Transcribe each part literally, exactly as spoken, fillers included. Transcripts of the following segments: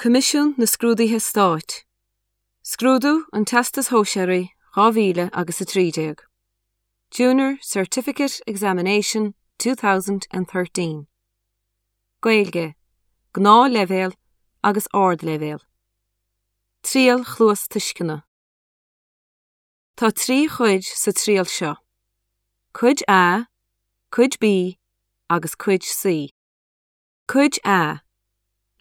Coimisiún na Scrúduithe Stáit. Scrúdú an Teastais Shóisearaigh dhá mhíle agus a trí déag. Junior Certificate Examination two thousand and thirteen. Gaeilge, Gnáthleibhéal agus Ardleibhéal. Triail Chluastuisceana. Tá trí chuid sa triail seo. Cuid A, Cuid B agus Cuid C. Cuid A.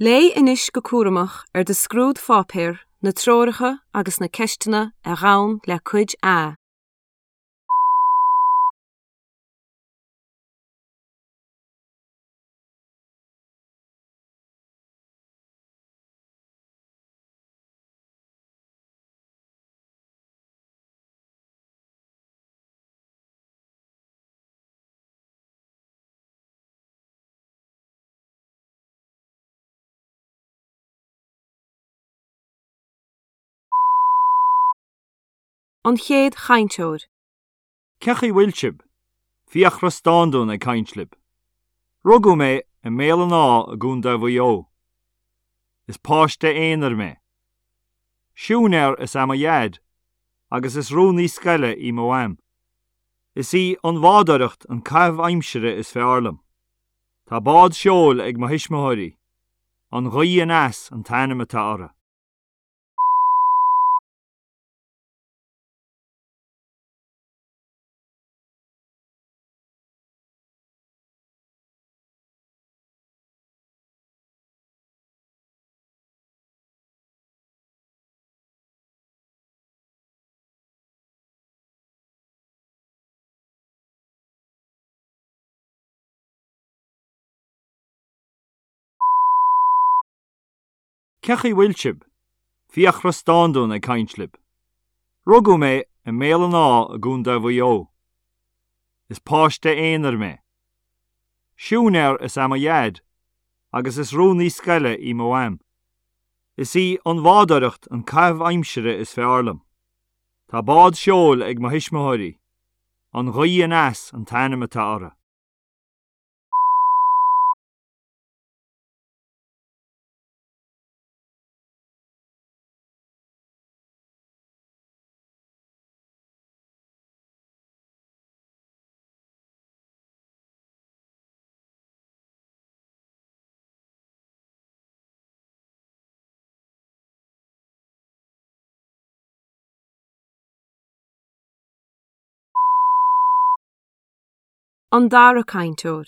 Léigh anois go cúramach ar do scrúdpháipéar na treoracha agus na ceisteanna a ghabhann le Cuid A. An chéad chainteoir. Cén chaoi a bhfuil sibh? Fiachra Standún ag caint libh. Rugadh mé i mBéal an Átha i gContae Mhaigh Eo. Is páiste aonair mé. Siúinéir is ea mo dhaid, agus is rúnaí scoile í mo mham. Is í an bhádóireacht an caitheamh aimsire is fearr liom. Tá bád seoil ag mo thuismitheoirí. An Ghaoth Aneas an t-ainm atá uirthi. Cén chaoi a bhfuil sibh? Fiachra Standún ag caint libh. Rugadh mé i mBéal an Átha i gContae Mhaigh Eo. Is páiste aonair mé. Siúinéir is ea mo dhaid, agus is rúnaí scoile í mo mham. Is í an bhádóireacht an caitheamh aimsire is fearr liom. Tá bád seoil ag mo thuismitheoirí. An Ghaoth Aneas an t-ainm atá uirthi. An dara cainteoir.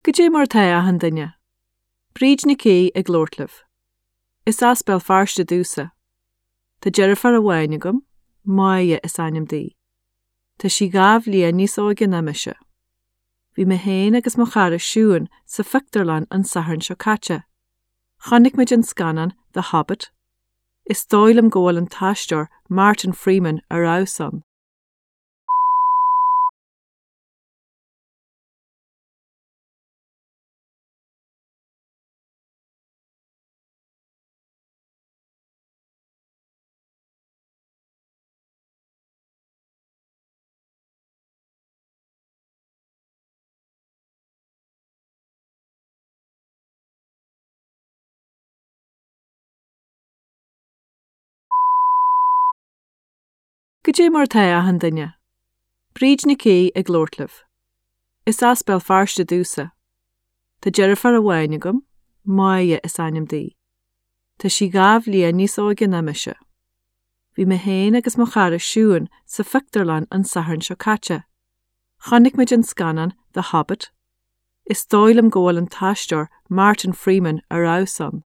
Goidé mar atá achan duine. Bríd Nic Aoidh ag labhairt libh. Is as Béal Feirste domhsa. Tá deirfiúr amháin agam, Máire is ainm di. Tá sí dhá bhliain níos óige ná mise. Bhí mé féin agus mo chara Siún sa phictiúrlann an Satharn seo caite. Chonaic muid an scannán The Hobbit. Is dóigh liom go bhfuil an t-aisteoir Martin Freeman ar fheabhas ann. Goidé mar atá achan duine. Bríd Nic Aoidh ag labhairt libh. Is as Béal Feirste domhsa. Tá deirfiúr amháin agam, Máire is ainm di. Tá sí dhá bhliain níos óige ná mise. Bhí mé féin agus mo chara Siún sa phictiúrlann an Satharn seo caite. Chonaic muid an scannán The Hobbit. Is dóigh liom go bhfuil an t-aisteoir Martin Freeman ar fheabhas ann.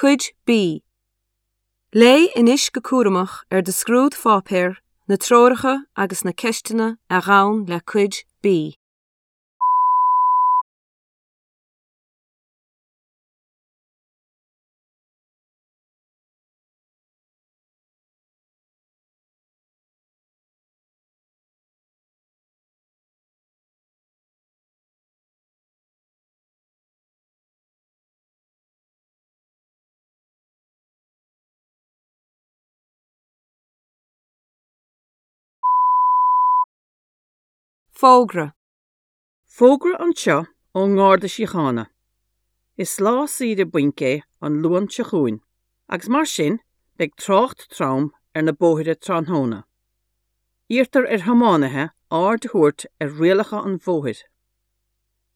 Cuid B. Léigh anois go cúramach ar do scrúdpháipéar na treoracha agus na ceisteanna a ghabhann le Cuid B. Fógra. Fógra anseo ón nGarda Síochána. Is lá saoire bainc é an Luan seo chugainn, agus mar sin beidh trácht trom ar na bóithre tráthnóna. Iarrtar ar thiománaithe aird a thabhairt ar rialacha an bhóthair.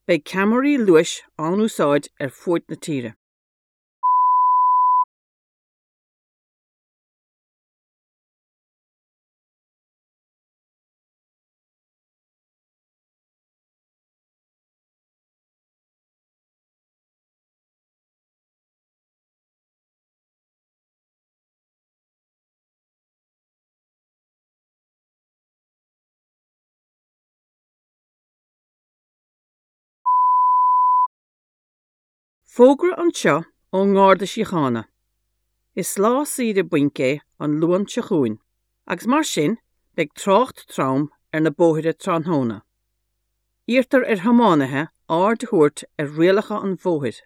Beidh ceamaraí luais á n-úsáid ar fud na tíre. Fógra anseo ón nGarda Síochána. Is lá saoire bainc é an Luan seo chugainn, agus mar sin beidh trácht trom ar na bóithre tráthnóna. Iarrtar ar thiománaithe aird a thabhairt ar rialacha an bhóthair.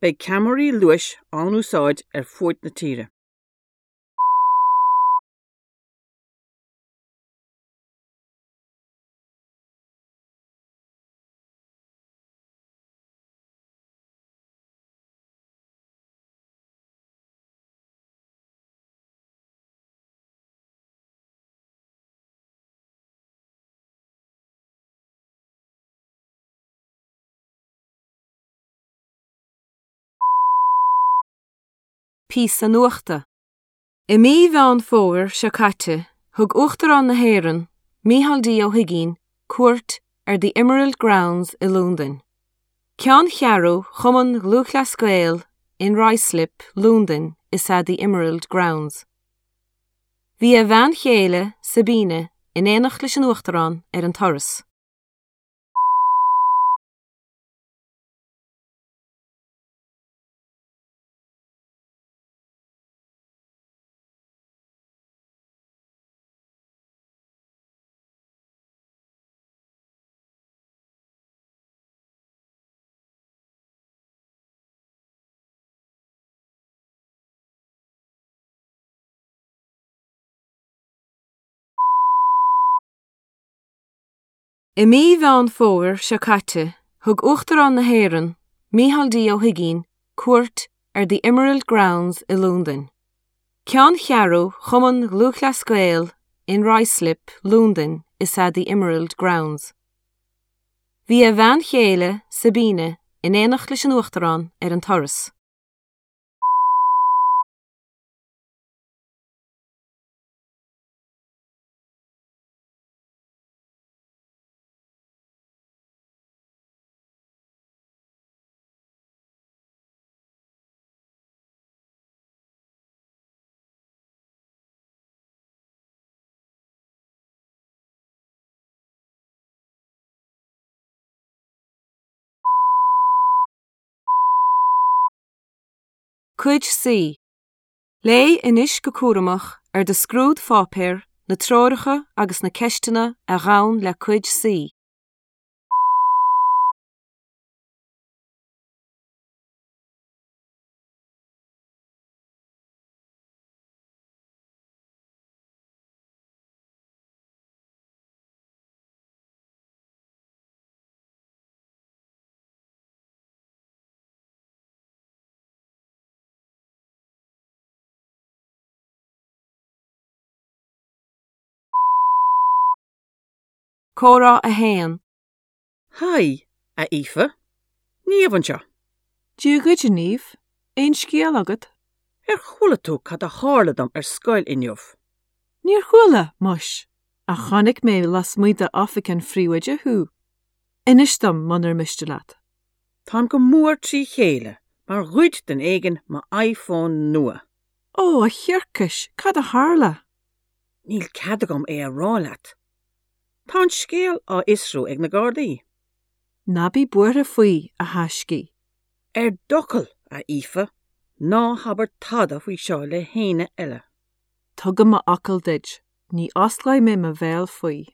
Beidh ceamaraí luais á n-úsáid ar fud na tíre. Píosa nuachta. I mí Mheán Fómhair seo caite, thug Uachtarán na hÉireann, Micheál D. Ó hUigínn, cuairt ar The Emerald Grounds i Londain. Ceanncheathrú Chumann Lúthchleas Gael in Ruislip, Londain is ea The Emerald Grounds. Bhí a bhean chéile, Sabine, in éineacht leis an Uachtarán ar an turas. I mí Mheán Fómhair seo caite, thug Uachtarán na hÉireann, Micheál D. Ó hUigínn, cuairt ar The Emerald Grounds i Londain. Ceanncheathrú Chumann Lúthchleas Gael in Ruislip, Londain is ea The Emerald Grounds. Bhí a bhean chéile, Sabine, in éineacht leis an Uachtarán ar an turas. Cuid C. Léigh anois go cúramach ar do scrúdpháipéar na treoracha agus na ceisteanna a ghabhann le Cuid C. Comhrá a haon. Haigh, a Aoife. Niamh anseo. Dia dhuit, a Niamh, aon scéal agat? Ar chuala tú cad a tharla dom ar scoil inniu? Níor chuala, muis, ach chonaic mé lasmuigh d'oifig an phríomhoide thú. Inis dom munar miste leat. Táim go mór trí chéile, mar ghoid duine éigin mo iPhone nua. Ó, a thiarcais, cad a tharla? Níl cead agam é a rá leat. Tá an scéal á fhiosrú ag na Gardaí. Ná bí buartha faoi, a thaiscí. Ar d'fhocal, a Aoife, ná habair tada faoi seo le héinne eile. Tugaim m'fhocal duit, ní osclóidh mé mo bhéal faoi.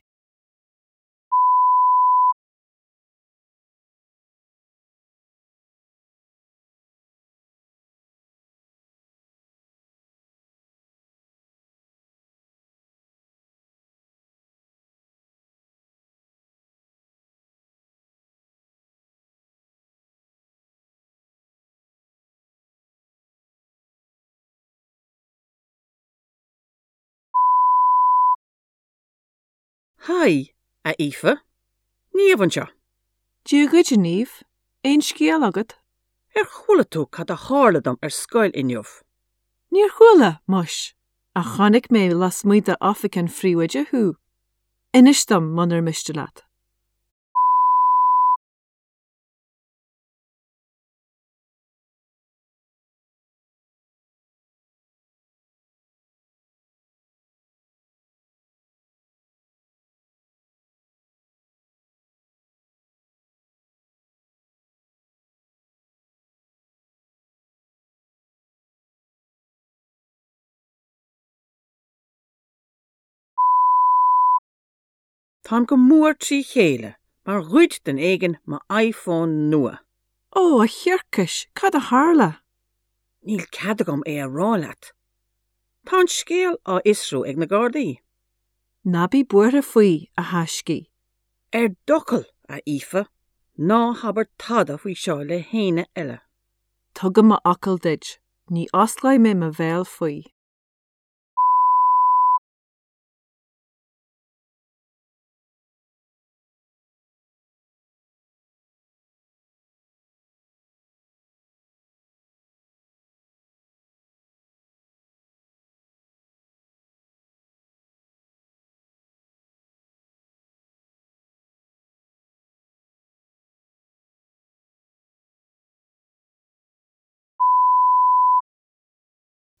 Haigh, a Aoife. Niamh anseo. Dia dhuit, a Niamh, aon scéal agat? Ar chuala tú cad a tharla dom ar scoil inniu? Níor chuala, muis, ach chonaic mé lasmuigh d'oifig an phríomhoide thú. Inis dom munar miste leat. Táim go mór trí chéile mar ghoid duine éigin mo iPhone nua. Ó, a thiarcais, cad a tharla? Níl cead agam é a rá leat. Tá an scéal á fhiosrú ag na Gardaí. Ná bí buartha faoi, a thaiscidh. Ar d'fhocal, a Aoife, ná habair tada faoi seo le héinne eile. Tugaim m'fhocal duit, ní osclóidh mé mo bhéal faoi.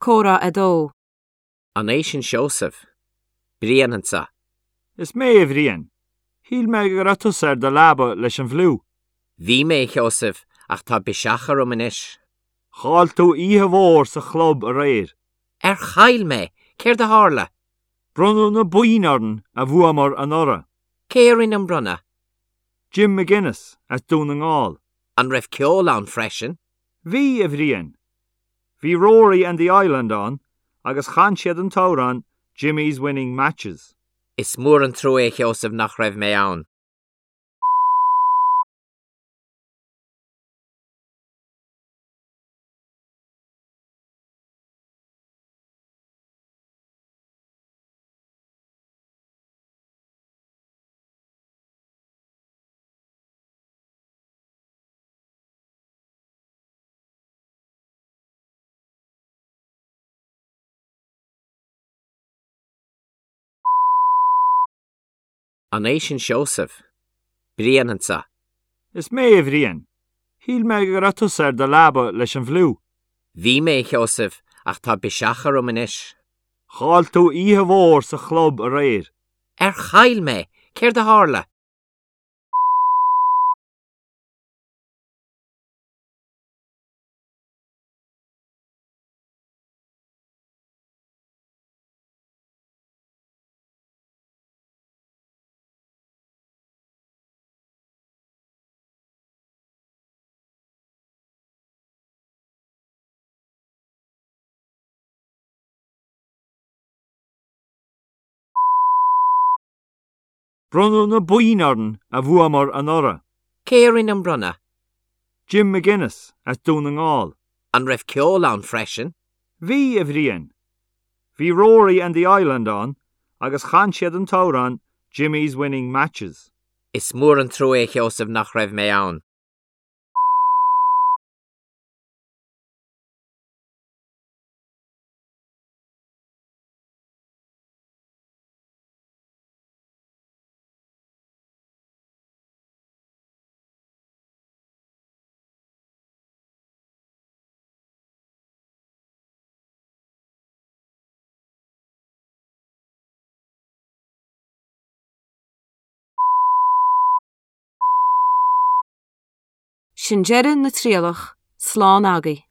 Comhrá a dó. An é sin Seosamh? Brian anseo. Is mé a Bhriain. Shíl mé go raibh tusa ar do leaba leis an bhfliú. Bhí mé, a Sheosaimh, ach tá biseach orm anois. Chaill tú oíche mhór sa chlub aréir. Ar chaill mé, céard a tharla? Bronnadh na boinn orainn a bhuamar anuraidh. Cé a rinne an bronnadh? Jim McGuinness as Dún na nGall. An raibh ceol ann freisin? Bhí, a Bhriain. Bhí Rory and the Island ann agus chan siad an t-amhrán Jimmy's Winning Matches. Is mór an trua, a Sheosaimh, nach raibh mé ann. An é sin Seosamh? Brian anseo. Is mé a Bhriain. Shíl mé go raibh tusa ar do leaba leis an bhfliú. Bhí mé, a Sheosaimh, ach tá biseach orm anois. Chaill tú oíche mhór sa chlub aréir. Ar chaill mé, céard a tharla? Bronnadh na boinn orainn a bhuamar anuraidh. Cé a rinne an bronnadh? Jim McGuinness as Dún na nGall. An raibh ceol ann freisin? Bhí, a Bhriain. Bhí Rory and the Island ann agus chan siad an t-amhrán Jimmy's Winning Matches. Is mór an trua, a Sheosaimh, nach raibh mé ann. Sin deireadh na trialach, slán agaibh.